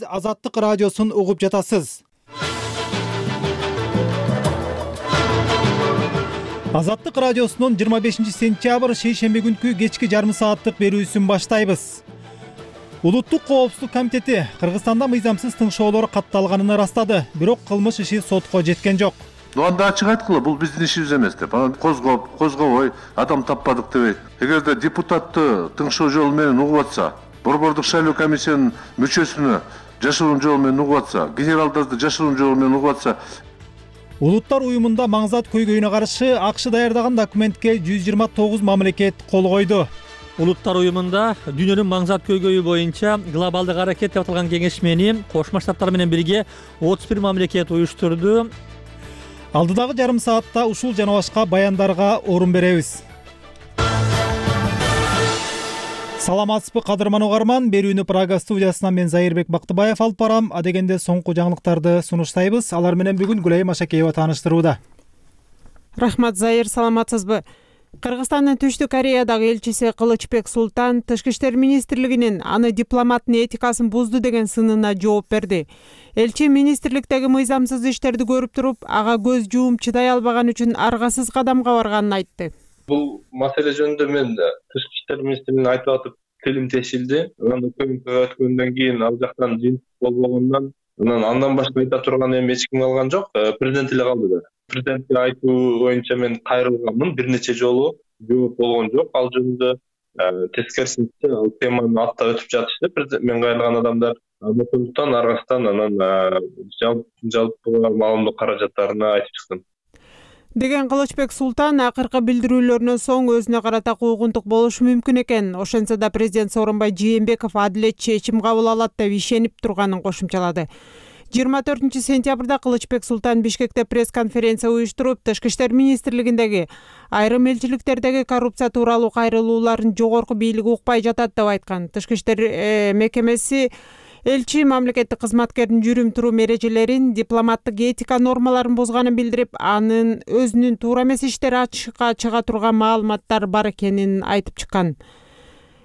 Азаттык радиосун угуп жатасыз. Азаттык радиосунун 25 сентябрь шейшемби күнкү кечки жарым сааттык берүүсүн баштайбыз. Улуттук коопсуздук комитети Кыргызстанда мыйзамсыз тыңшоолор катталганын ырастады, бирок кылмыш иши сотко жеткен жок. Анда ачык айткыла, бул биздин ишибиз эмес деп. Анан козгобой, адам таппадык дебейт. Эгерде депутатты тыңшоо жолу менен угуп атса, борбордук шайлоо комиссиянын мүчөсүнө жашыруун жолу менен угуп атса, генералдарды жашыруун жолу менен угуп атса. Улуттар уюмунда маңзат көйгөйүнө каршы АКШ даярдаган документке 129 мамлекет кол койду. Улуттар уюмунда дүйнөнүн маңзат көйгөйү боюнча глобалдык аракет деп аталган кеңешмени Кошмо Штаттар менен бирге 31 мамлекет уюштурду. Алдыдагы жарым саатта ушул жана башка баяндарга орун беребиз. Саламатсызбы кадырман угарман, берүүнү Прага студиясынан мен Зайырбек Бактыбаев алып барам. Адегенде соңку жаңылыктарды сунуштайбыз. Алар менен бүгүн Гүлайым Ашакеева тааныштырууда. Рахмат Зайыр, саламатсызбы? Кыргызстандын Түштүк Кореядагы элчиси Кылычбек Султан Тышкы иштер министрлигинин аны дипломаттын этикасын бузду деген сынына жооп берди. Элчи министрликтеги мыйзамсыз иштерди көрүп туруп, ага көз жууп чыдай албаган үчүн аргасыз кадамга барганын айтты. Бул маселе жөнүндө мен Тышкы иштер министрлигине айтып атып тилим тешилди. Анан өкмөткө өткөндөн кийин ал жактан жыйынтык болбогондон андан башка айта турган эми эч ким калган жок. Президент эле калды да. Президентке айтуу боюнча мен кайрылганмын, бир нече жолу жооп болгон жок. Ал жөнүндө тескерисинче ал теманы аттап өтүп жатышты. Президент мен кайрылган адамдар ошондуктан аргасынан анан жалпы маалымдоо каражаттарына айтып чыктым деген Кылычбек Султан акыркы билдирүүлөрүнөн соң өзүнө карата куугунтук болушу мүмкүн экен. Ошентсе да президент Сооронбай Жээнбеков адилет чечим кабыл алат деп ишенип турганын кошумчалады. 24 сентябрда Кылычбек Султан Бишкекте пресс-конференция уюштуруп, Тышкы иштер министрлигиндеги айрым элчиликтердеги коррупция тууралуу кайрылууларын жогорку бийлик укпай жатат деп айткан. Тышкы иштер мекемеси элчи мамлекеттик кызматкердин жүрүм турум эрежелерин, дипломаттык этика нормаларын бузганын билдирип, анын өзүнүн туура эмес иштери ачыкка чыга турган маалыматтар бар экенин айтып чыккан.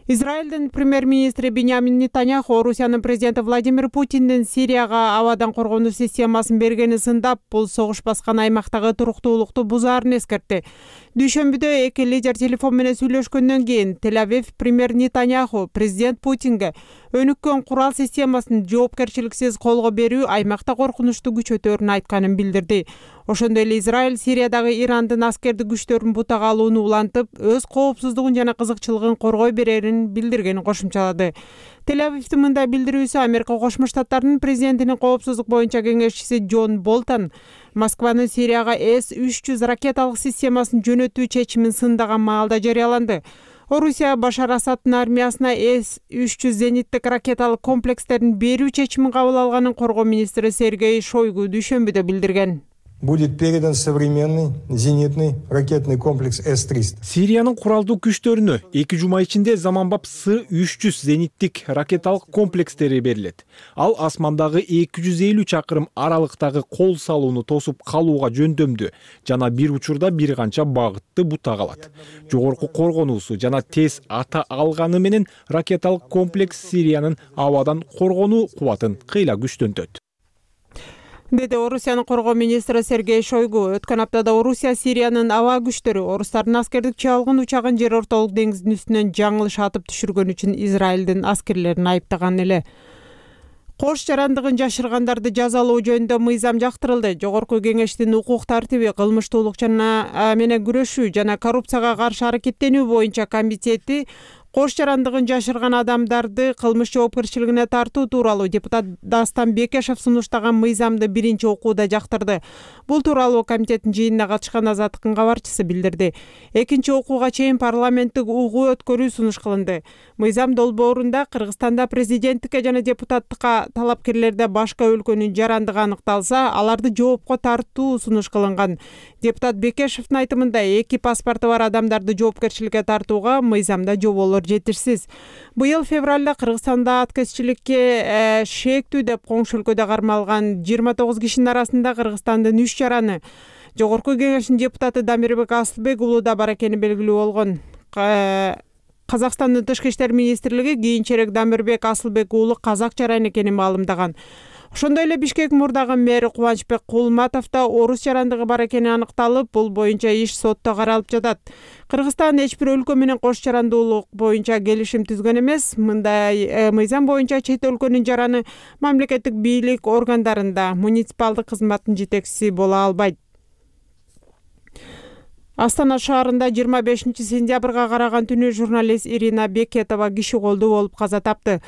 Израилдин премьер-министри Биньямин Нетаньяху Орусиянын президенти Владимир Путиндин Сирияга абадан коргонуу системасын бергени сындап, бул согуш баскан аймактагы туруктуулукту бузаарын эскертти. Дүйшөмбүдө эки лидер телефон менен сүйлөшкөндөн кийин Тель-Авив премьер Нетаньяху президент Путинге өнүккөн курал системасын жоопкерчиликсиз колго берүү аймакта коркунучту күчөтөөрүн айтканын билдирди. Ошондой эле Израиль Сириядагы Ирандын аскердик күчтөрүн бутага алууну улантып, өз коопсуздугун жана кызыкчылыгын коргой берерин билдиргенин кошумчалады. Тель-Авивдин мындай билдирүүсү Америка Кошмо Штаттарынын президентинин коопсуздук боюнча кеңешчиси Джон Болтон Москванын Сирияга С-300 ракеталык системасын жөнөтүү чечимин сындаган маалда жарыяланды. Орусия Башар Асаддын армиясына С-300 зениттик ракеталык комплекстерин берүү чечимин кабыл алганын коргоо министри Сергей Шойгу дүйшөмбүдө билдирген. Будет передан современный зенитный ракетный комплекс С-300. Сириянын куралдуу күчтөрүнө 2 жума ичинде заманбап С-300 зениттик ракеталык комплекстери берилет. Ал асмандагы 250 чакырым аралыктагы кол салууну тосуп калууга жөндөмдүү жана бир учурда бир канча багытты бутага алат. Жогорку коргонуусу жана тез ата алганы менен ракеталык комплекс Сириянын абадан коргонуу кубатын кыйла күчтөнтөт, деди Орусиянын коргоо министри Сергей Шойгу. Өткөн аптада Орусия Сириянын аба күчтөрү орустардын аскердик чыалгын учагын жер ортолук деңиздин үстүнөн жаңылыш атып түшүргөн үчүн Израилдин аскерлерин айыптаган эле. Кош жарандыгын жашыргандарды жазалоо жөнүндө мыйзам жактырылды. Жогорку кеңештин укук тартиби, кылмыштуулук жана менен күрөшүү жана коррупцияга каршы аракеттенүү боюнча комитети кош жарандыгын жашырган адамдарды кылмыш жоопкерчилигине тартуу тууралуу депутат Дастан Бекешев сунуштаган мыйзамды биринчи окууда жактырды. Бул тууралуу комитеттин жыйынына катышкан Азаттыктын кабарчысы билдирди. Экинчи окууга чейин парламенттик угуу өткөрүү сунуш кылынды. Мыйзам долбоорунда Кыргызстанда президенттикке жана депутаттыкка талапкерлерде башка өлкөнүн жарандыгы аныкталса, аларды жоопко тартуу сунуш кылынган. Депутат Бекешевдин айтымында эки паспорту бар адамдарды жоопкерчиликке тартууга мыйзамда жоболор жетишсиз. Быйыл февралда Кыргызстанда аткезчиликке шектүү деп коңшу өлкөдө кармалган 29 кишинин арасында Кыргызстандын 3 жараны Жогорку кеңештин депутаты Дамирбек Асылбек уулу да бар экени белгилүү болгон. Казакстандын Тышкы иштер министрлиги кийинчерээк Дамирбек Асылбек уулу казак жаран экенин маалымдаган. Ошондой эле Бишкек мурдагы мэри Кубанычбек Кулматов да орус жарандыгы бар экени аныкталып, бул боюнча иш сотто каралып жатат. Кыргызстан эч бир өлкө менен кош жарандуулук боюнча келишим түзгөн эмес. Мындай мыйзам боюнча чет өлкөнүн жараны мамлекеттик бийлик органдарында муниципалдык кызматтын жетекчиси боло албайт. Астана шаарында 25-сентябрга караган түнү журналист Ирина Бекетова киши колдуу болуп каза тапты.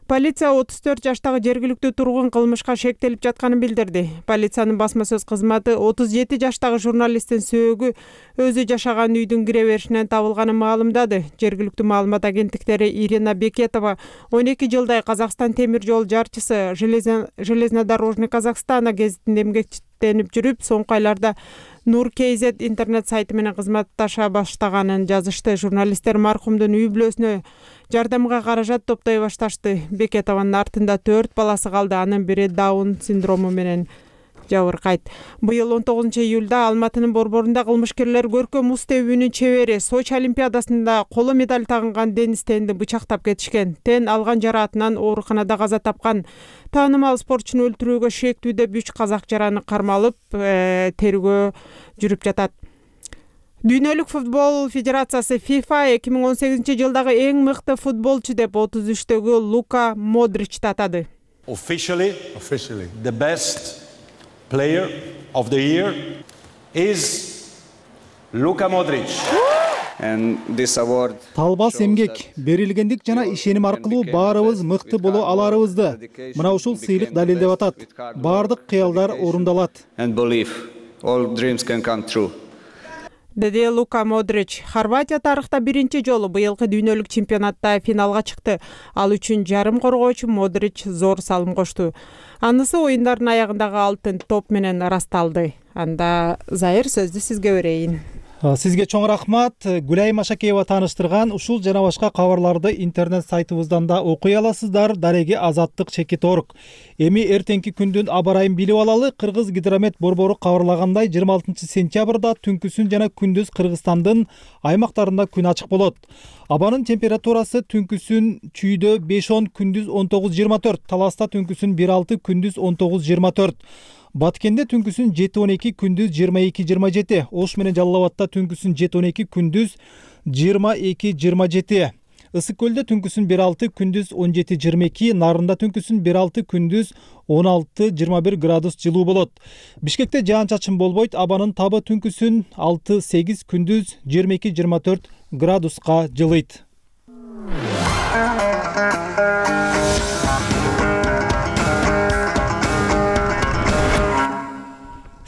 Полиция 34 жаштагы жергиликтүү тургун кылмышка шектелип жатканын билдирди. Полициянын басма сөз кызматы 37 жаштагы журналисттин сөөгү өзү жашаган үйдүн кире беришинен табылганын маалымдады. Жергиликтүү маалымат агенттиктери Ирина Бекетова 12 жылдай Казакстан темир жол жарчысы Железнодорожный Казахстана гезитинде эмгектенип жүрүп, соңку айларда Нур KZ интернет сайты менен кызматташа баштаганын жазышты. Журналисттер маркумдун үй бүлөсүнө жардамга каражат топтой башташты. Бекетованын артында 4 баласы калды. Анын бири Даун синдрому менен жабыркайт. Быйыл 19-июлда Алматынын борборунда кылмышкерлер көркөм муз тебүүнүн чебери Сочи олимпиадасында коло медаль тагынган Денис Тенди бычактап кетишкен. Тен алган жараатынан ооруканада каза тапкан. Таанымал спортчуну өлтүрүүгө шектүү деп 3 казак жараны кармалып, тергөө жүрүп жатат. Дүйнөлүк футбол федерациясы FIFA 2018-жылдагы эң мыкты футболчу деп 33-төгү Лука Модричти атады. Officially, the best player of the year is Luka Modric. And this award Талбас эмгек, берилгендик жана ишеним аркылуу баарыбыз мыкты боло аларыбызды мына ушул сыйлык далилдеп атат. Бардык кыялдар орундалат. And believe all dreams can come true. Деди Лука Модрич. Хорватия тарыхта биринчи жолу быйылкы дүйнөлүк чемпионатта финалга чыкты. Ал үчүн жарым коргоочу Модрич зор салым кошту. Анысы оюндардын аягындагы алтын топ менен ырасталды. Анда Зайыр сөздү сизге берейин. Сизге чоң рахмат. Гүлайым Ашакеева тааныштырган ушул жана башка кабарларды интернет сайтыбыздан да окуй аласыздар. Дареги Азаттык Чекит.org. Эми эртеңки күндүн аба ырайын билип алалы. Кыргыз гидромет борбору кабарлагандай 26-сентябрда түнкүсүн жана күндүз Кыргызстандын аймактарында күн ачык болот. Абанын температурасы түнкүсүн чүйдө 5-10, күндүз 19-24, Таласта түнкүсүн 1-6, күндүз 19-24. Баткенде түнкүсүн 7-12, күндүз 22-27. Ош менен Жалал Абадта түнкүсүн 7-12, күндүз 22-27. Ысык көлдө түнкүсүн 1-6, күндүз 17-22. Нарында түнкүсүн 1-6, күндүз 16-21 градус жылуу болот. Бишкекте жаан-чачын болбойт. Абанын табы түнкүсүн 6-8, күндүз 22-24 градуска жылыйт.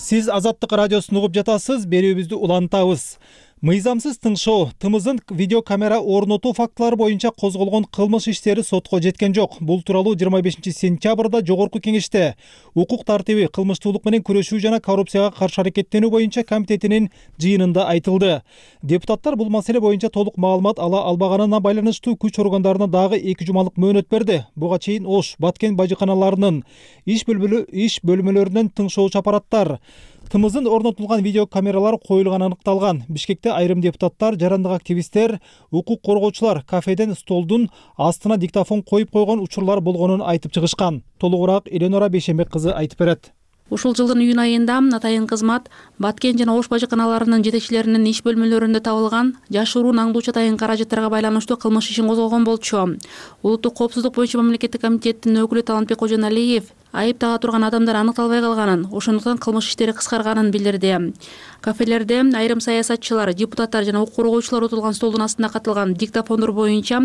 Сиз Азаттык радиосун угуп жатасыз, берүүбүздү улантабыз. Мыйзамсыз тыңшоо, тымыздын видеокамера орнотуу фактылары боюнча козголгон кылмыш иштери сотко жеткен жок. Бул тууралуу 25-сентябрда Жогорку Кеңеште укук тартиби, кылмыштуулук менен күрөшүү жана коррупцияга каршы аракеттенүү боюнча комитетинин жыйынында айтылды. Депутаттар бул маселе боюнча толук маалымат ала албаганына байланыштуу күч органдарына дагы 2 жумалык мөөнөт берди. Буга чейин Ош, Баткен бажыканаларынын иш бөлмөлөрүнөн тыңшоочу аппараттар, тымыздын орнотулган видеокамералар коюлганы аныкталган. Бишкекте айрым депутаттар, жарандык активисттер, укук коргоочулар кафеден столдун астына диктофон коюп койгон учурлар болгонун айтып чыгышкан. Толугураак Эленора Бейшембек кызы айтып берет. Ушул жылдын июнь айында атайын кызмат Баткен жана Ош бажыканаларынын жетекчилеринин иш бөлмөлөрүндө табылган жашыруун аңдуучу атайын каражаттарга байланыштуу кылмыш ишин козгогон болчу. Улуттук коопсуздук боюнча мамлекеттик комитеттин өкүлү Талантбек Кожоналиев айыптага турган адамдар аныкталбай калганын, ошондуктан кылмыш иштери кыскарганын билдирди. Кафелерде айрым саясатчылар, депутаттар жана укук коргоочулар отурган столдун астында катылган диктофондор боюнча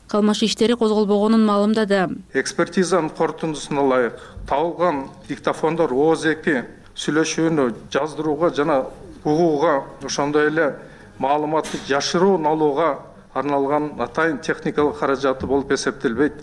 кылмыш иштери козголбогонун маалымдады. Экспертизанын корутундусуна ылайык табылган диктофондор ооз-2 сүйлөшүүнү жаздырууга жана угууга, ошондой эле маалыматты жашыруун алууга арналган атайын техникалык каражаты болуп эсептелбейт.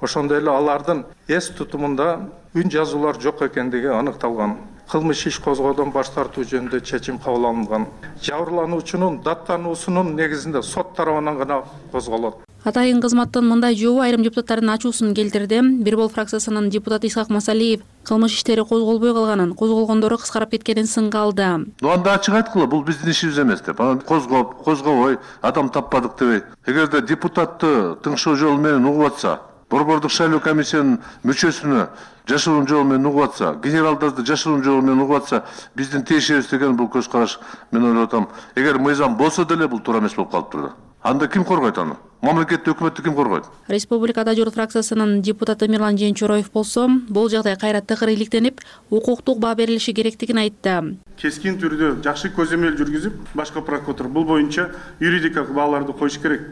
Ошондой эле алардын эс тутумунда үн жазуулар жок экендиги аныкталган. кылмыш иш козгоодон баш тартуу жөнүндө чечим кабыл алынган. Жабырлануучунун даттануусунун негизинде сот тарабынан гана козголот. Атайын кызматтын мындай жообу айрым депутаттардын ачуусун келтирди. Бир Бол фракциясынын депутаты Исхак Масалиев кылмыш иштери козголбой калганын, козголгондору кыскарып кеткенин сынга алды. Анда ачык айткыла, бул биздин ишибиз эмес деп. Анан козгобой, адам таппадык дебей. Эгерде депутатты тыңшоо жолу менен угуп атса, Борбордук шайлоо комиссиянын мүчөсүнө жашыруун жол менен угуп атса, генералдарды жашыруун жол менен угуп атса, биздин тиешебиз деген бул көз караш мен ойлоп атам. Эгер мыйзам болсо деле бул туура эмес болуп калыптыр. Анда ким коргойт аны? Мамлекетти, өкмөттү ким коргойт? Республикада Журт фракциясынын депутаты Мирлан Жеенчороев болсо, бул жагдай кайра тыгыр иликтенип, укуктук баа берилиши керектигин айтты. Кескин түрдө жакшы көзөмөл жүргүзүп, башкы прокуратура бул боюнча юридикалык бааларды коюш керек.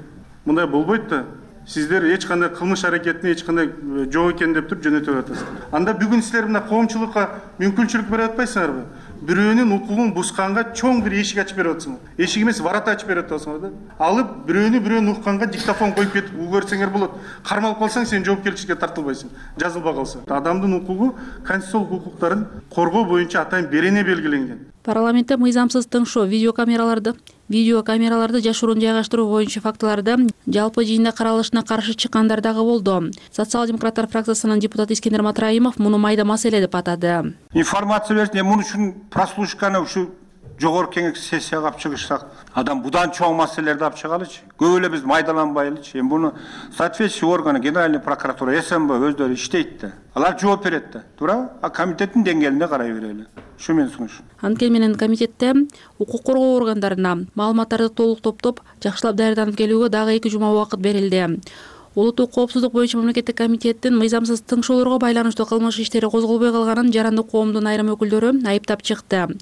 Мындай болбойт да. Сиздер эч кандай кылмыш аракетине эч кандай жок экен деп туруп жөнөтүп атасыздар. Анда бүгүн силер мына коомчулукка мүмкүнчүлүк берип атпайсыңарбы? Бирөөнүн укугун бусканга чоң бир эшик ачып берип атасыңар. Эшик эмес, ворота ачып берип атасыңар да. Алып бирөөнүн укканга диктофон коюп кетип угөрсөңөр болот. Кармалып калсаң сен жоопкерчиликке тартылбайсың. Жазылбай калса. Адамдын укугу конституциялык укуктарын коргоо боюнча атайын берене белгиленген. Парламентте мыйзамсыз тыңшоо видеокамераларды жашыруун жайгаштыруу боюнча фактыларды жалпы жыйында каралышына каршы чыккандар дагы болду. Социал-демократтар фракциясынын депутаты Искендер Матраимов муну майда маселе деп атады. Информация берсин, муну үчүн прослушканы ушу жогорку кеңеш сессияга алып чыгышсак, адам будан чоң маселелерди алып чыгалычы. Көп эле биз майдаланбайлычы. Эми буну соответствующий органы, Генеральный прокуратура, СМБ өздөрү иштейт да. Алар жооп берет да. Туура? А комитеттин деңгээлинде карай берели. Ушу менен сунуш. Анткени менен комитетте укук коргоо органдарына маалыматтарды толук топтоп, жакшылап даярданып келүүгө дагы 2 жума убакыт берилди. Улуттук коопсуздук боюнча мамлекеттик комитеттин мыйзамсыз тыңшоолорго байланыштуу кылмыш иштери козголбой калганын жарандык коомдун айрым өкүлдөрү айыптап чыкты.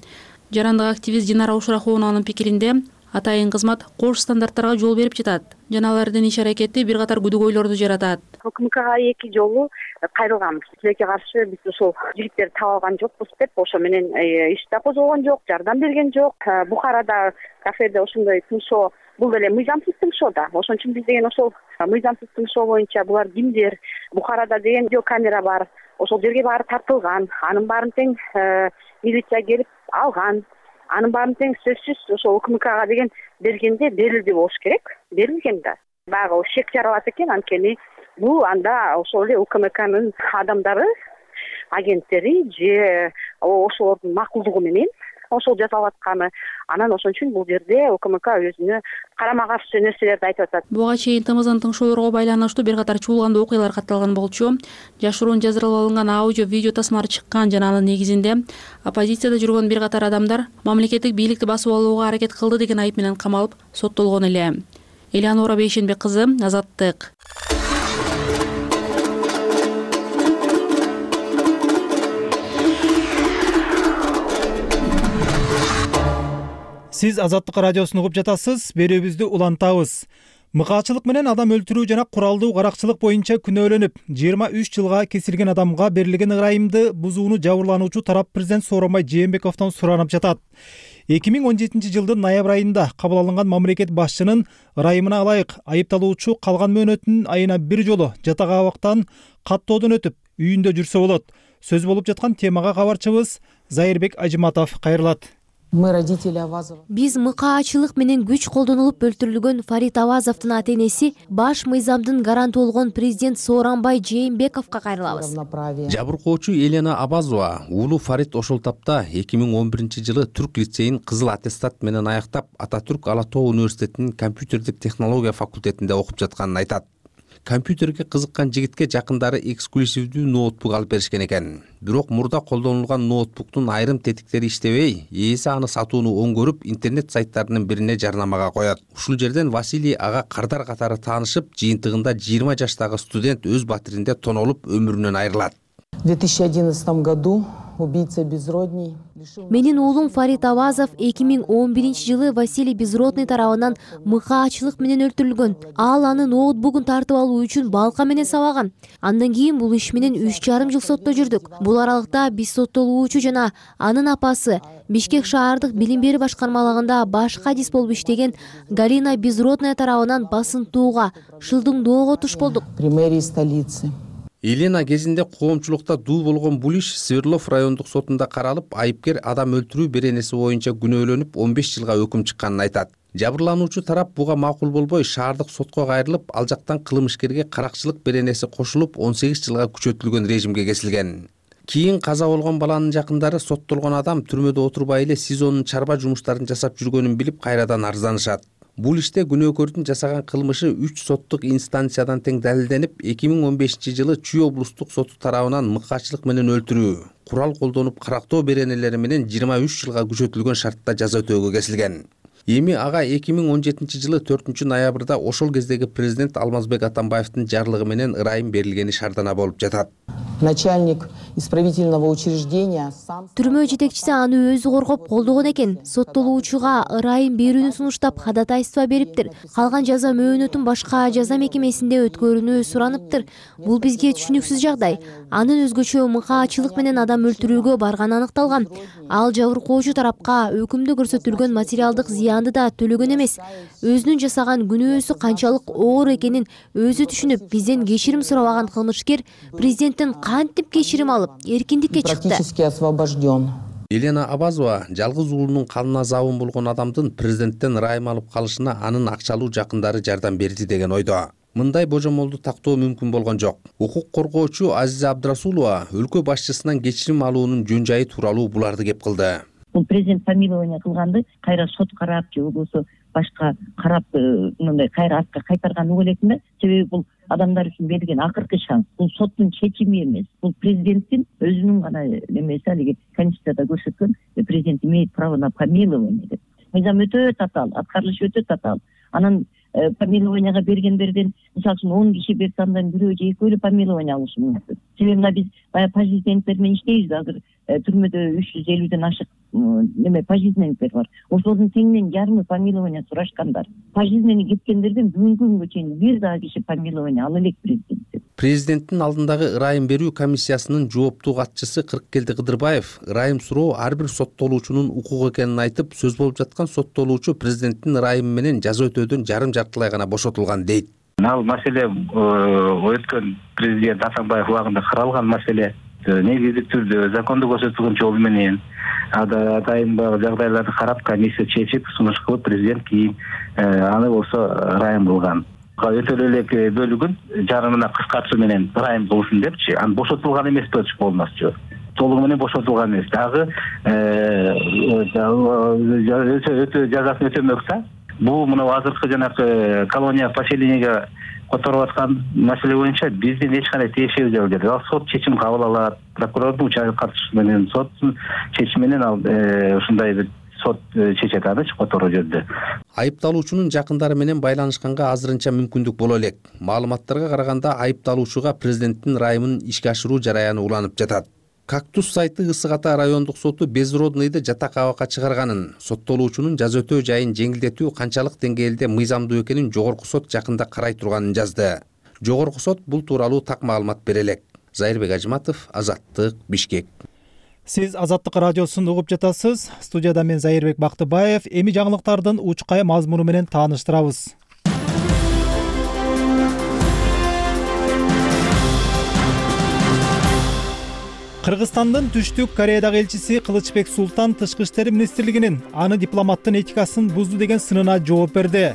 Жарандык активист Динара Ушрахованын пикиринде, атайын кызмат кош стандарттарга жол берип жатат. Жана алардын иш аракети бир катар күдөгөйлөрдү жаратат. УКМКга 2 жолу кайрылганбыз. Силерге каршы биз ошол жигиттерди таап алган жокпуз деп, ошо менен иш да козголгон жок, жардам берген жок. Бухарада кафеде ошондой тыңшоо, бул деле мыйзамсыз тыңшоо да. Ошон үчүн биз деген ошол мыйзамсыз тыңшоо боюнча булар кимдер? Бухарада деген видеокамера бар. Ошол жерге баары тартылган. Анын баарын тең милиция келип алган. Анын баарын тең сөзсүз ошол УКМКга деген бергенде берилди болуш керек. Берилген да. Баягы шек жаралат экен, анткени бул анда ошол эле УКМКнын адамдары, агенттери же ошолордун макулдугу менен ошол жасалып атканы. Анан ошон үчүн бул жерде УКМК өзүнө карама каршы нерселерди айтып атат. Буга чейин ТМЗнын тыңшоолорго байланыштуу бир катар чуулгандуу окуялар катталган болчу. Жашыруун жаздырылып алынган аудио видео тасмалар чыккан жана анын негизинде оппозицияда жүргөн бир катар адамдар мамлекеттик бийликти басып алууга аракет кылды деген айып менен камалып соттолгон эле. Элеонора Бейшенбек кызы, Азаттык. Сиз Азаттык радиосун угуп жатасыз, берүүбүздү улантабыз. Мыкаачылык менен адам өлтүрүү жана куралдуу каракчылык боюнча күнөөлөнүп, 23 жылга кесилген адамга берилген ырайымды бузууну жабырлануучу тарап президент Сооронбай Жээнбековдон суранып жатат. 2017 жылдын ноябрь айында кабыл алынган мамлекет башчынын ырайымына ылайык айыпталуучу калган мөөнөтүн айына 1 жолу жатак абактан каттоодон өтүп, үйүндө жүрсө болот. Сөз болуп жаткан темага кабарчыбыз Зайырбек Ажиматов кайрылат. Биз мыкаачылык менен күч колдонулуп өлтүрүлгөн Фарид Авазовдун ата-энеси баш мыйзамдын гаранты болгон президент Сооронбай Жээнбековго кайрылабыз. Жабыркоочу Елена Абазова уулу Фарид ошол тапта 2011 жылы Түрк лицейин кызыл аттестат менен аяктап, Ататүрк Ала Тоо университетинин компьютердик технология факультетинде окуп жатканын айтат. Компьютерге кызыккан жигитке жакындары эксклюзивдүү ноутбук алып беришкен экен. Бирок мурда колдонулган ноутбуктун айрым тетиктери иштебей, ээси аны сатууну оңгөрүп, интернет сайттарынын бирине жарнамага коёт. Ушул жерден Василий ага кардар катары таанышып, жыйынтыгында 20 жаштагы студент өз батиринде тонолуп, өмүрүнөн айрылат. В 2011 году убийца Безродный. Менин уулум Фарид Авазов 2011 жылы Василий Безродный тарабынан мыкаачылык менен өлтүрүлгөн. Ал анын ноутбугун тартып алуу үчүн балка менен сабаган. Андан кийин бул иш менен 3,5 жыл сотто жүрдүк. Бул аралыкта биз соттолуучу жана анын апасы Бишкек шаардык билим берүү башкармалыгында баш кадис болуп иштеген Галина Безродная тарабынан басынтууга, шылдыңдоого туш болдук. При мэрии столицы. Елена кезинде коомчулукта дуу болгон бул иш Свердлов райондук сотунда каралып, айыпкер адам өлтүрүү беренеси боюнча күнөөлөнүп 15 жылга өкүм чыкканын айтат. Жабырлануучу тарап буга макул болбой шаардык сотко кайрылып, ал жактан кылмышкерге каракчылык беренеси кошулуп 18 жылга күчөтүлгөн режимге кесилген. Кийин каза болгон баланын жакындары соттолгон адам түрмөдө отурбай эле СИЗОнун чарба жумуштарын жасап жүргөнүн билип кайрадан арызданышат. Бул иште күнөөкөрдүн жасаган кылмышы 3 соттук инстанциядан тең далилденип, 2015-жылы Чүй облустук соту тарабынан мыкаачылык менен өлтүрүү, курал колдонуп карактоо беренелери менен 23 жылга күчөтүлгөн шартта жаза өтөөгө кесилген. Эми ага 2017-жылы 4-ноябрда ошол кездеги президент Алмазбек Атамбаевдин жарлыгы менен ырайым берилгени шаардана болуп жатат. Начальник исправительного учреждения сам... Түрмө жетекчиси аны өзү коргоп колдогон экен. Соттолуучуга ырайым берүүнү сунуштап ходатайство бериптир. Калган жаза мөөнөтүн башка жаза мекемесинде өткөрүүнү сураныптыр. Бул бизге түшүнүксүз жагдай. Анын өзгөчө мыкаачылык менен адам өлтүрүүгө барганы аныкталган. Ал жабыркоочу тарапка өкүмдө көрсөтүлгөн материалдык зыянды да төлөгөн эмес. Өзүнүн жасаган күнөөсү канчалык оор экенин өзү түшүнүп, бизден кечирим сурабаган кылмышкер президенттен кантип кечирим алып, эркиндикке чыкты. Практически освобожден. Елена Абазова жалгыз уулунун канына забын болгон адамдын президенттен ырайым алып калышына анын акчалуу жакындары жардам берди деген ойдо. Мындай божомолду тактоо мүмкүн болгон жок. Укук коргоочу Азиза Абдрасулова өлкө башчысынан кечирим алуунун жөн жайы тууралуу буларды кеп кылды. Бул президент помилование кылганды кайра сот карап же болбосо башка карап мындай кайра артка кайтарганы ойлойсуң да. Себеби бул адамдар үчүн берилген акыркы шанс. Бул соттун чечими эмес. Бул президенттин өзүнүн гана эмеси, алиги конституцияда көрсөткөн президент имеет право на помилование деп. Мыйзам өтө татаал, аткарылышы өтө татаал. Анан помилованияга бергендерден мисалы үчүн 10 киши берсе андан бирөө же экөө эле помилование алышы мүмкүн. Себеби мына биз баягы пожизненниктер менен иштейбиз. Азыр түрмөдө 350ден ашык неме пожизненниктер бар. Ошолордун теңинен жарымы помилование сурашкандар. Пожизненный кеткендерден бүгүнкү күнгө чейин бир дагы киши помилование ала элек президент. Президенттин алдындагы ырайым берүү комиссиясынын жооптуу катчысы Кырккелди Кыдырбаев ырайым суроо ар бир соттолуучунун укугу экенин айтып, сөз болуп жаткан соттолуучу президенттин ырайымы менен жаза өтөөдөн жарым-жартылай гана бошотулган дейт. Ал маселе өткөн президент Атамбаев убагында каралган маселе. Негизик түрдө закондо көрсөтүлгөн жол менен атайын жагдайларды карап комиссия чечип сунуш кылып президент кийин аны болсо ырайым кылган. Өтө элек бөлүгүн жарымына кыскартуу менен ырайым кылсын депчи, аны бошотулган эмес деп болмосчу. Толугу менен бошотулган эмес. Дагы өтө жазасын өтөмөксө, бул мына азыркы жанагы колония поселенияга которуп аткан маселе боюнча биздин эч кандай тиешеси жок деп. Ал сот чечим кабыл алат, прокурордун катышуусу менен соттун чечими менен ал ушундай бир сот чечет аны которуу жөнүндө. Айыпталуучунун жакындары менен байланышканга азырынча мүмкүндүк боло элек. Маалыматтарга караганда айыпталуучуга президенттин ырайымын ишке ашыруу жараяны уланып жатат. Кактус сайты Ысык Ата райондук соту Безродныйды жатак абакка чыгарганын, соттолуучунун жаза өтөө жайын жеңилдетүү канчалык деңгээлде мыйзамдуу экенин жогорку сот жакында карай турганын жазды. Жогорку сот бул тууралуу так маалымат бере элек. Зайырбек Ажматов, Азаттык, Бишкек. Сиз Азаттык радиосун угуп жатасыз. Студияда мен Зайырбек Бактыбаев. Эми жаңылыктардын учкай мазмуну менен тааныштырабыз. Кыргызстандын Түштүк Кореядагы элчиси Кылычбек Султан Тышкы иштер министрлигинин аны дипломаттын этикасын бузду деген сынына жооп берди.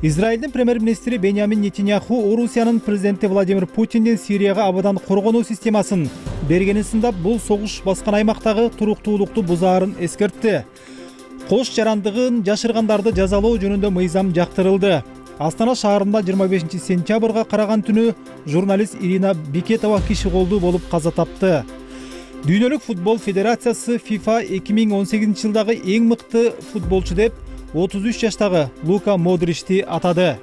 Израилдин премьер-министри Беньямин Нетаньяху Орусиянын президенти Владимир Путиндин Сирияга абадан коргонуу системасын бергенин сындап, бул согуш баскан аймактагы туруктуулукту бузаарын эскертти. Кош жарандыгын жашыргандарды жазалоо жөнүндө мыйзам жактырылды. Астана шаарында 25 сентябрга караган түнү журналист Ирина Бекетова киши колдуу болуп каза тапты. Дүйнөлүк футбол федерациясы FIFA 2018 жылдагы эң мыкты футболчу деп 33 жаштагы Лука Модричти атады.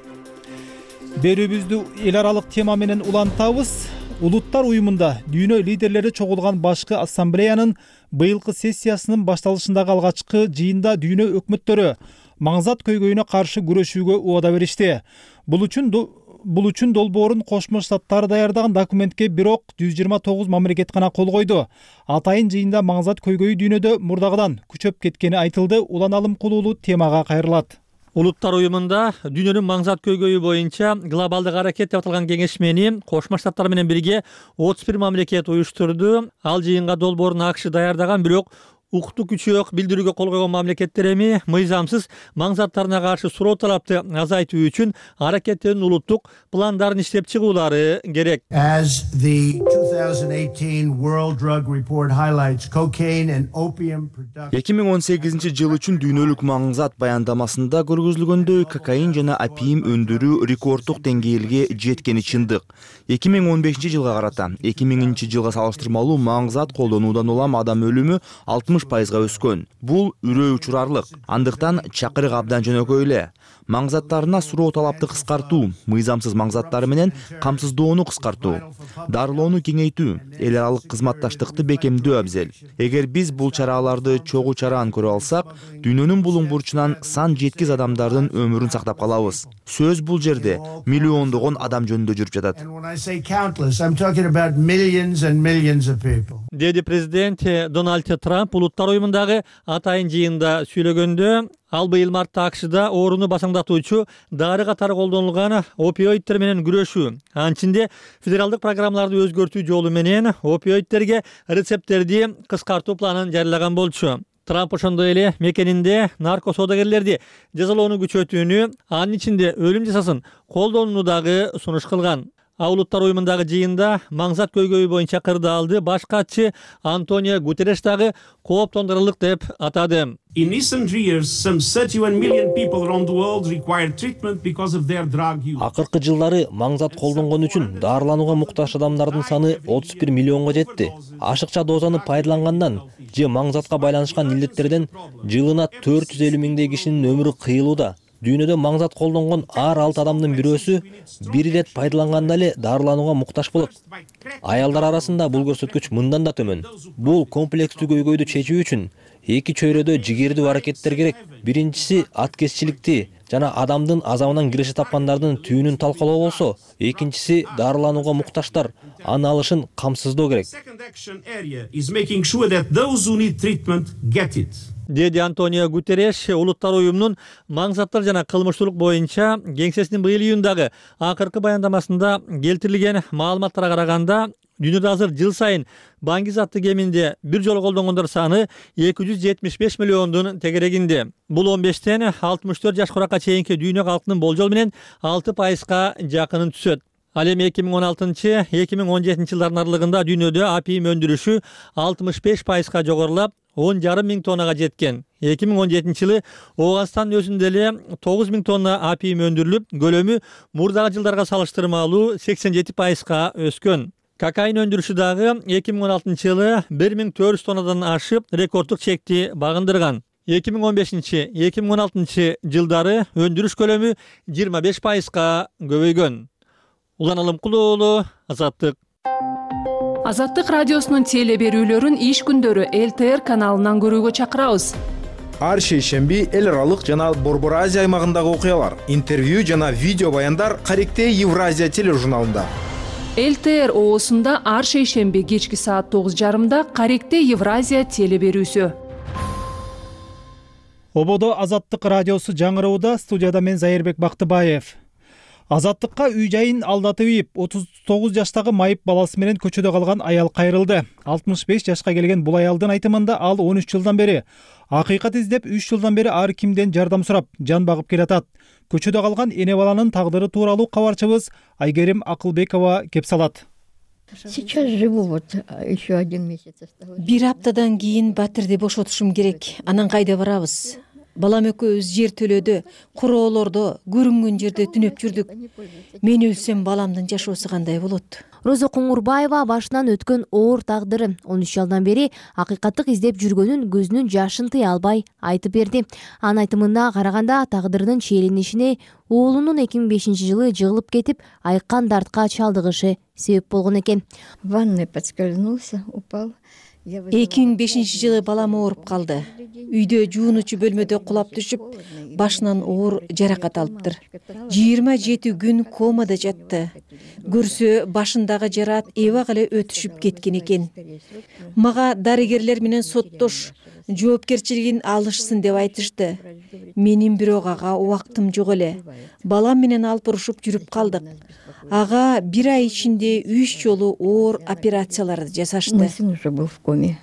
Берүүбүздү эл аралык тема менен улантабыз. Улуттар уюмунда дүйнө лидерлери чогулган башкы ассамблеянын быйылкы сессиясынын башталышындагы алгачкы жыйында дүйнө өкмөттөрү маңзат көйгөйүнө каршы күрөшүүгө убада беришти. Бул үчүн долбоорун Кошмо Штаттар даярдаган документке бирок 129 мамлекет гана кол койду. Атайын жыйында маңзат көйгөйү дүйнөдө мурдагыдан күчөп кеткени айтылды. Уланалым кулуулуу темага кайрылат. Улуттар уюмунда дүйнөнүн маңзат көйгөйү боюнча глобалдык аракет деп аталган кеңешмени Кошмо Штаттар менен бирге 31 мамлекет уюштурду. Ал жыйынга долбоорун АКШ даярдаган, бирок укуктуу күчөк билдирүүгө кол койгон мамлекеттер эми мыйзамсыз маңзаттарына каршы суроо талапты азайтуу үчүн аракеттердин улуттук пландарын иштеп чыгуулары керек. As the 2018 World Drug Report highlights, cocaine and opium production 2018 жыл үчүн дүйнөлүк маңзат баяндамасында көргөзүлгөндөй кокаин жана опиум өндүрүү рекорддук деңгээлге жеткени чындык. 2015 жылга карата 2000 жылга салыштырмалуу маңзат колдонуудан улам адам өлүмү 60%га өскөн. Бул үрөө учурарлык. Андыктан чакырык абдан жөнөкөй эле. Маңзаттарына суроо талапты кыскартуу, мыйзамсыз маңзаттары менен камсыздоону кыскартуу, дарылоону кеңейтүү, эл аралык кызматташтыкты бекемдөө абзел. Эгер биз бул чараларды чогуу чараан көрө алсак, дүйнөнүн булуң бурчунан сан жеткиз адамдардын өмүрүн сактап калабыз. Сөз бул жерде миллиондогон адам жөнүндө жүрүп жатат. Деди президент Дональд Трамп улуттар уюмундагы атайын жыйында сүйлөгөндө, ал быйыл мартта АКШда ооруну басаңдатуучу дары катары колдонулган опиоидтер менен күрөшүү, анчинде федералдык программаларды өзгөртүү жолу менен опиоидтерге рецепттерди кыскартуу планын жарыялаган болчу. Трамп ошондой эле мекенинде нарко соодагерлерди жазалоону күчөтүүнү, анын ичинде өлүм жазасын колдонууну дагы сунуш кылган. Улуттар уюмундагы жыйында маңзат көйгөйү боюнча кырдаалды баш катчы Антонио Гутерреш дагы кооптондурарлык деп атады. In recent years, some 31 million people around the world require treatment because of their drug use. Акыркы жылдары маңзат колдонгон үчүн дарыланууга муктаж адамдардын саны 31 миллионго жетти. Ашыкча дозаны пайдалангандан же маңзатка байланышкан илдеттерден жылына 450 миңдей кишинин өмүрү кыйылууда. Дүйнөдө маңзат колдонгон ар 6 адамдын бирөөсү бир ирет пайдаланганда эле дарыланууга муктаж болот. Аялдар арасында бул көрсөткүч мындан да төмөн. Бул комплекстүү көйгөйдү чечүү үчүн эки чөйрөдө жигердүү аракеттер керек. Биринчиси аткезчиликти жана адамдын азабынан киреше тапкандардын түйүнүн талкалоо болсо, экинчиси дарыланууга муктаждар анын алышын камсыздоо керек. Деди Антонио Гутерреш улуттар уюмунун маңзаттар жана кылмыштуулук боюнча кеңсесинин быйыл июндагы акыркы баяндамасында келтирилген маалыматтарга караганда, дүйнөдө азыр жыл сайын баңгиз аттуу кеминде бир жолу колдонгондор саны 275 миллиондун тегерегинде. Бул 15тен 64 жаш куракка чейинки дүйнө калкынын болжол менен 6%га жакынын түшөт. Ал эми 2016-2017 жылдардын аралыгында дүйнөдө опиум өндүрүшү 65%га жогорулап, 10,5 миң тоннага жеткен. 2017 жылы Ооганстандын өзүндө эле 9 миң тонна опиум өндүрүлүп, көлөмү мурдагы жылдарга салыштырмалуу 87%га өскөн. Кокаин өндүрүшү дагы 2016 жылы 1400 тоннадан ашып, рекорддук чекти багындырган. 2015-2016 жылдары өндүрүш көлөмү 25%га көбөйгөн. Улан Алымкулуу уулу, Азаттык. Азаттык радиосунун теле берүүлөрүн иш күндөрү ЛТР каналынан көрүүгө чакырабыз. Ар шейшемби эл аралык жана Борбор Азия аймагындагы окуялар, интервью жана видео баяндар Каректе Евразия тележурналында. ЛТР оосунда ар шейшемби кечки саат 9:30 Каректе Евразия теле берүүсү. Ободо Азаттык радиосу жаңыроодо, студияда мен Зайырбек Бактыбаев. Азаттыкка үй жайын алдатып ийип, 39 жаштагы майып баласы менен көчөдө калган аял кайрылды. 65 жашка келген бул аялдын айтымында ал 13 жылдан бери акыйкат издеп, 3 жылдан бери ар кимден жардам сурап, жан багып келатат. Көчөдө калган эне баланын тагдыры тууралуу кабарчыбыз Айгерим Акылбекова кеп салат. Сейчас живу вот еще 1 месяц осталось. Бир аптадан кийин батирди бошотушум керек. Анан кайда барабыз? Балам экөөбүз жер төлөдө, куроолордо, көрүнгөн жерде түнөп жүрдүк. Мен өлсөм баламдын жашоосу кандай болот? Роза Коңурбаева башынан өткөн оор тагдыры 13 жылдан бери акыйкаттык издеп жүргөнүн көзүнүн жашын тыя албай айтып берди. Анын айтымына караганда тагдырдын чиеленишине уулунун 2005 жылы жыгылып кетип, айккан дартка чалдыгышы себеп болгон экен. В ванной подскользнулся, упал. 2005 жылы балам ооруп калды. Үйдө жуунучу бөлмөдө кулап түшүп, башынан оор жаракат алыптыр. 27 күн комада жатты. Көрсө башындагы жараат эбак эле өтүшүп кеткен экен. Мага дарыгерлер менен соттош, жоопкерчилигин алышсын деп айтышты. Менин бирок ага убактым жок эле. Балам менен алып урушуп жүрүп калдык. Ага 1 ай ичинде 3 жолу оор операцияларды жасашты.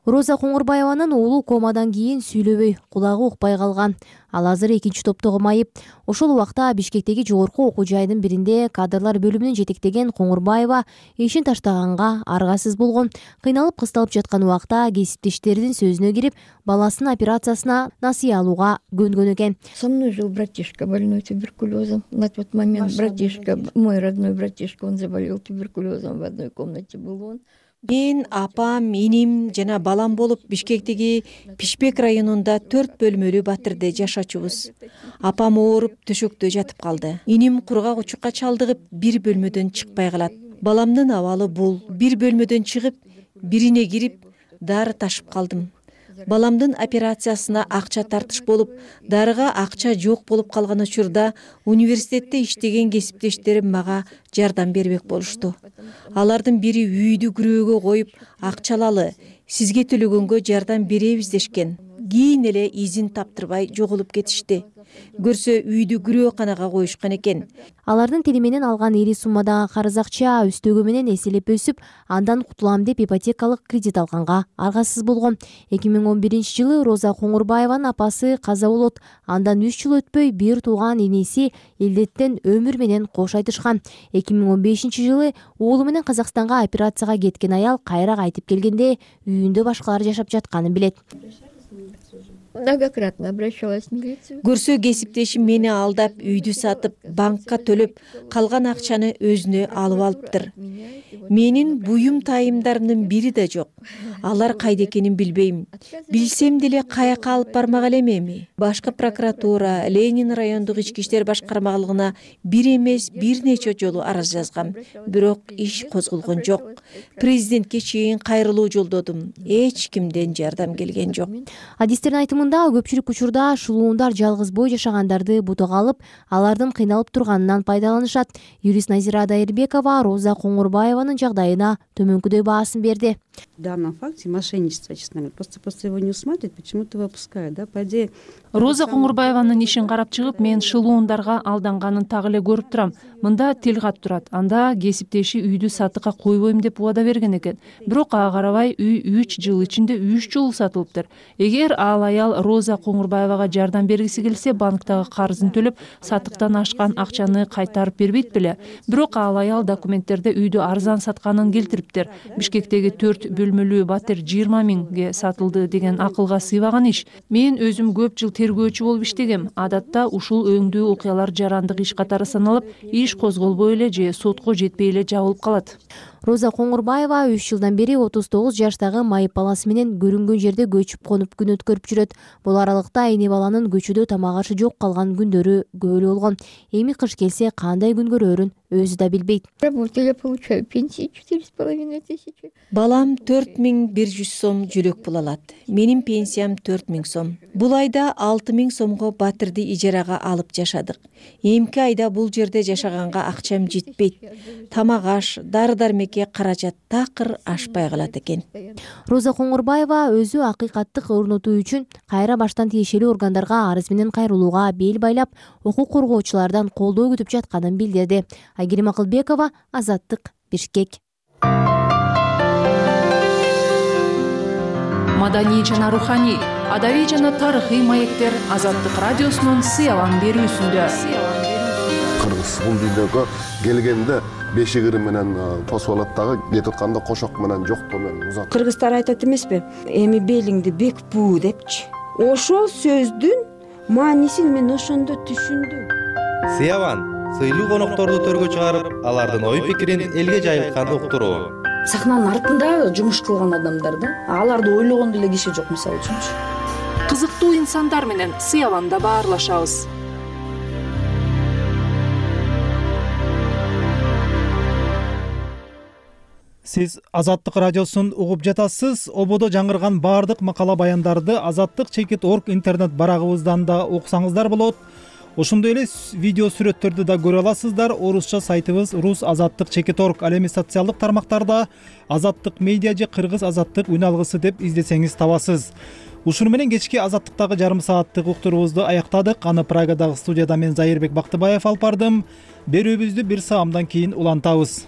Роза Коңурбаеванын уулу комадан кийин сүйлөбөй, кулагы укпай калган. Ал азыр 2-топтогу майып. Ошол убакта Бишкектеги жогорку окуу жайдын биринде кадрлар бөлүмүнүн жетектеген Коңурбаева ишин таштаганга аргасыз болгон. Кыйналып кысталып жаткан убакта кесиптештердин сөзүнө кирип, баласынын операциясына насыя алууга көнгөн экен. Со мной жил братишка больной туберкулезом. На тот момент братишка, мой родной братишка, он заболел туберкулезом, в одной комнате был он. Мен, апам, иним жана балам болуп Бишкектеги Пишпек районунда 4 бөлмөлүү батирде жашачубуз. Апам ооруп төшөктө жатып калды. Иним кургак учукка чалдыгып 1 бөлмөдөн чыкпай калат. Баламдын абалы бул. 1 бөлмөдөн чыгып, бирине кирип, дары ташып калдым. Баламдын операциясына акча тартыш болуп, дарыга акча жок болуп калган учурда университетте иштеген кесиптештерим мага жардам бербек болушту. Алардын бири үйдү күрөөгө коюп, акча алалы, сизге төлөгөнгө жардам беребиз дешкен. Кийин эле изин таптырбай жоголуп кетишти. Көрсө үйдү күрөөканага коюшкан экен. Алардын тили менен алган ири суммадагы карыз акча үстөгү менен эселеп өсүп, андан кутулам деп ипотекалык кредит алганга аргасыз болгон. 2011-жылы Роза Коңурбаеванын апасы каза болот. Андан 3 жыл өтпөй бир тууган иниси илдеттен өмүр менен кош айтышкан. 2015-жылы уулу менен Казакстанга операцияга кеткен аял кайра кайтып келгенде үйүндө башкалар жашап жатканын билет. Многократно обращалась в милицию. Көрсө кесиптешим мени алдап, үйдү сатып, банкка төлөп, калган акчаны өзүнө алып алыптыр. Менин буюм тайымдарымдын бири да жок. Алар кайда экенин билбейм. Билсем деле каяка алып бармак элем эми. Башкы прокуратура, Ленин райондук ички иштер башкармалыгына бир эмес, бир нече жолу арыз жазгам. Бирок иш козголгон жок. Президентке чейин кайрылуу жолдодум. Эч кимден жардам келген жок. Адистердин айтымында көпчүлүк учурда шулуундар жалгыз бой жашагандарды бутага алып, алардын кыйналып турганынан пайдаланышат. Юрист Назира Дайырбекова Роза Коңурбаеванын жагдайына төмөнкүдөй баасын берди. В данном факте мошенничество, честно говоря, просто после его не усматривать, почему-то выпускают, да, по идее. Роза Коңурбаеванын ишин карап чыгып, мен шылуундарга алданганын так эле көрүп турам. Мында тил кат турат. Анда кесиптеши үйдү сатыкка койбойм деп убада берген экен. Бирок ага карабай үй 3 жыл ичинде 3 жолу сатылыптыр. Эгер ал аял Роза Коңурбаевага жардам бергиси келсе, банктагы карызын төлөп, сатыктан ашкан акчаны кайтарып бербейт беле. Бирок ал аял документтерде үйдү арзан сатканын келтириптир. Бишкектеги 4 бөлмөлүү батир 20 миңге сатылды деген акылга сыйбаган иш. Мен өзүм көп жыл тергөөчү болуп иштегем. Адатта ушул өңдүү окуялар жарандык иш катары саналып, иш козголбой эле же сотко жетпей эле жабылып калат. Роза Коңурбаева 3 жылдан бери 39 жаштагы майып баласы менен көрүнгөн жерде көчүп конуп күн өткөрүп жүрөт. Бул аралыкта эне баланын көчөдө тамак ашы жок калган күндөрү көп эле болгон. Эми кыш келсе кандай күн көрөрүн өзү да билбейт. Работаю, я получаю пенсию 4,5 тысячи. Балам 4100 сом жүлөк пул алат. Менин пенсиям 4000 сом. Бул айда 6000 сомго батирди ижарага алып жашадык. Эмки айда бул жерде жашаганга акчам жетпейт. Тамак аш, дары-дармекке каражат такыр ашпай калат экен. Роза Коңурбаева өзү акыйкаттык орнотуу үчүн кайра баштан тиешелүү органдарга арыз менен кайрылууга бел байлап, укук коргоочулардан колдоо күтүп жатканын билдирди. Айгерим Акылбекова, Азаттык, Бишкек. Маданий жана руханий, адабий жана тарыхый маектер Азаттык радиосунун сыялан берүүсүндө. Кыргыз бул дүйнөгө келгенде бешигири менен тосуп алат дагы, кетип атканда кошок менен жоктоо менен узат. Кыргыздар айтат эмеспи? Эми белиңди бек буу депчи. Ошол сөздүн маанисин мен ошондо түшүндүм. Сыяван сыйлуу конокторду төргө чыгарып, алардын ой пикирин элге жайылтканды уктуруу. Сахнанын артында жумуш кылган адамдар да, аларды ойлогон деле киши жок, мисалы үчүнчү. Кызыктуу инсандар менен Сыяванда баарлашабыз. Сиз Азаттык радиосун угуп жатасыз. Ободо жаңырган баардык макала баяндарды Азаттык.org интернет барагыбыздан да окусаңыздар болот. Ошондой эле видео сүрөттөрдү да көрө аласыздар. Орусча сайтыбыз Рус Азаттык /org. Ал эми социалдык тармактарда Азаттык медиа же Кыргыз Азаттык үн алгысы деп издесеңиз табасыз. Ушуну менен кечки Азаттыктагы жарым сааттык уктуруубузду аяктадык. Аны Прагадагы студияда мен Зайырбек Бактыбаев алып бардым. Берүүбүздү бир саамдан кийин улантабыз.